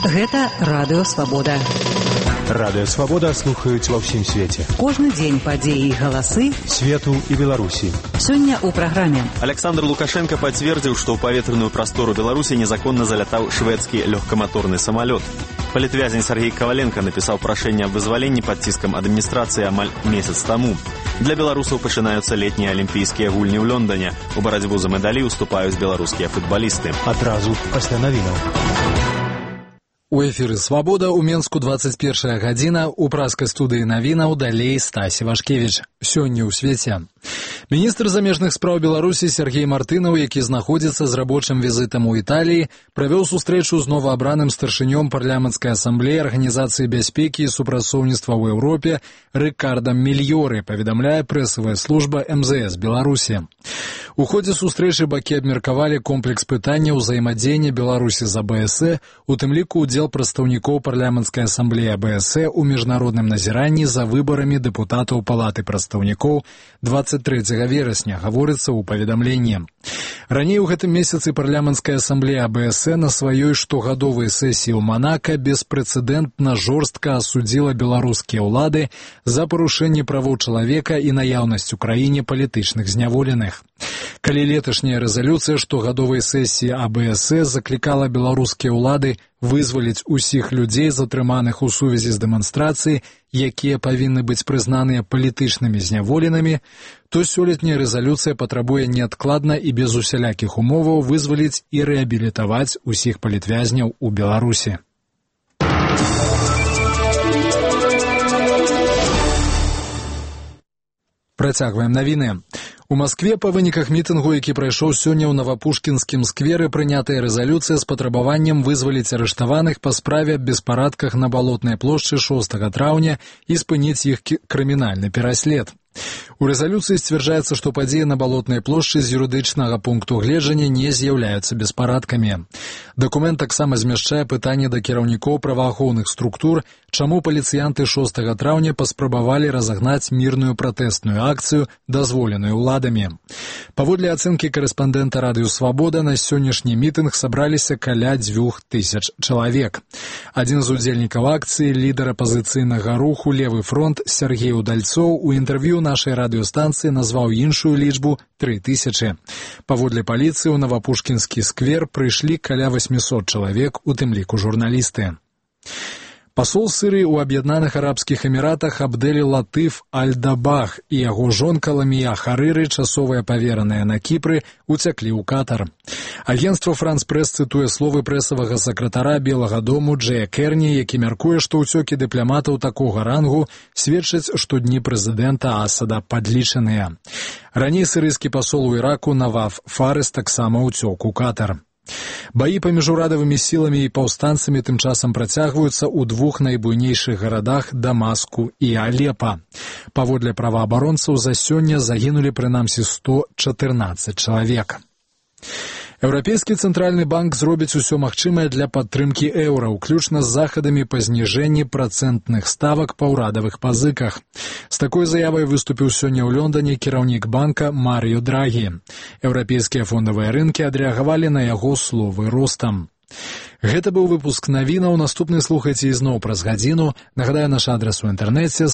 Гэта Радыё Свабода. Радыё Свабода слухаюць ва ўсім свеце. Кожны дзень падзеі і галасы свету і Беларусі. Сёння ў праграме. Александр Лукашенко пацвердзіў, што ў паветраную прастору Беларусі незаконна залятаў шведскі лёгкаматорны самалёт. Палітвязень Сергей Коваленко напісаў прашэнне аб вызваленні пад ціскам адміністрацыі амаль месяц таму. Для беларусаў пачынаюцца летнія алімпійскія гульні ў Лондоне. У барацьбу за медалі ўступаюць беларускія футбалісты. Адразу пасля навінаў. У эфіры «Свабода» у Менску 21 гадзіна, у праскай студыі навінаў далей Стась Івашкевіч. Сёння ў свеце. Міністр замежных спраў Беларусі Сергей Мартынаў, які знаходзіцца з рабочым візітам у Італіі, правёў сустрэчу з новаабраным старшынём парламенцкай асамблеі Арганізацыі бяспекі і супрацоўніцтва ў Еўропе Рыкардам Мільёры, паведамляе прэсавая служба МЗС Беларусі. У ходзе сустрэчы бакі абмеркавалі комплекс пытанняў узаемадзеяння Беларусі з АБС, у тым ліку ўдзел прадстаўнікоў парламенцкай асамблеі АБС у міжнародным назіранні за выбарамі дэпутатаў Палаты прадстаўнікоў 23 верасня, гаворыцца ў паведамленні. Раней у гэтым месяцы парламенцкая асамблея АБС на сваёй штогадовай сесіі ў Манака беспрэцэдэнтна жорстка асудзіла беларускія ўлады за парушэнне правоў чалавека і наяўнасць у краіне палітычных зняволеных. Калі леташняя рэзалюцыя штогадовай сесіі АБС заклікала беларускія ўлады вызваліць усіх людзей, затрыманых у сувязі з дэманстрацыяй, якія павінны быць прызнаныя палітычнымі зняволенымі, то сёлетняя рэзалюцыя патрабуе неадкладна і без усялякіх умоваў вызваліць і рэабілітаваць усіх палітвязняў у Беларусі. Працягваем навіны. У Маскве па выніках мітынгу, які прайшоў сёння ў Навапушкінскім скверы, прынятая рэзалюцыя з патрабаваннем вызваліць арыштаваных па справе аб беспарадках на Балотнай плошчы 6 траўня і спыніць іх крымінальны пераслед. У рэзалюцыі сцвярджаецца, што падзеі на Балотнай плошчы з юрыдычнага пункту гледжання не з'яўляюцца беспарадкамі. Дакумент таксама змяшчае пытанне да кіраўнікоў праваахоўных структур, чаму паліцыянты 6 траўня паспрабавалі разагнаць мірную пратэстную акцыю, дазволеную ўладамі. Паводле ацэнкі корэспандэнта Радыё Свабода, на сённяшні мітынг сабраліся каля 2000 чалавек. Адзін з удзельнікаў акцыі, лідар апазіцыйнага руху «Левы фронт» Сергей Удальцоў у інтэрв'ю нашай радыёстанцыі назваў іншую лічбу 3000. Паводле паліцыі ў Навапушкінскі сквер прыйшлі каля 800 чалавек, у тым ліку журналісты. Пасол Сірыі ў Аб'яднаных Арабскіх Эміратах Абдель Латыф Аль-Дабах і яго жонка Ламія Харыры, часовая павераныя на Кіпры, уцяклі ў Катар. Агенцтва «Франс-Прэс» цытуе словы прэсавага сакратара Белага дому Джея Керні, які мяркуе, што ўцёкі дыпламатаў такога рангу сведчаць, што дні прэзідэнта Асада падлічаныя. Раней сірыйскі пасол у Іраку Наваф Фарыс таксама ўцёк у Катар. Баі паміж урадавымі сіламі і паўстанцамі тым часам працягваюцца ў двух найбуйнейшых гарадах Дамаску і Алепа. Паводле праваабаронцаў, за сёння загінулі прынамсі 114 чалавек. Еўрапейскі цэнтральны банк зробіць усё магчымае для падтрымкі еўра, уключна з захадамі па зніжэнні працэнтных ставак па ўрадавых пазыках. З такой заявай выступіў сёння ў Лондоне кіраўнік банка Марыё Драгі. Еўрапейскія фондавыя рынкі адрэагавалі на яго словы ростам. Гэта быў выпуск навінаў. Наступны слухайце ізноў праз гадзіну. Нагадаю, наш адрас у інтэрнэце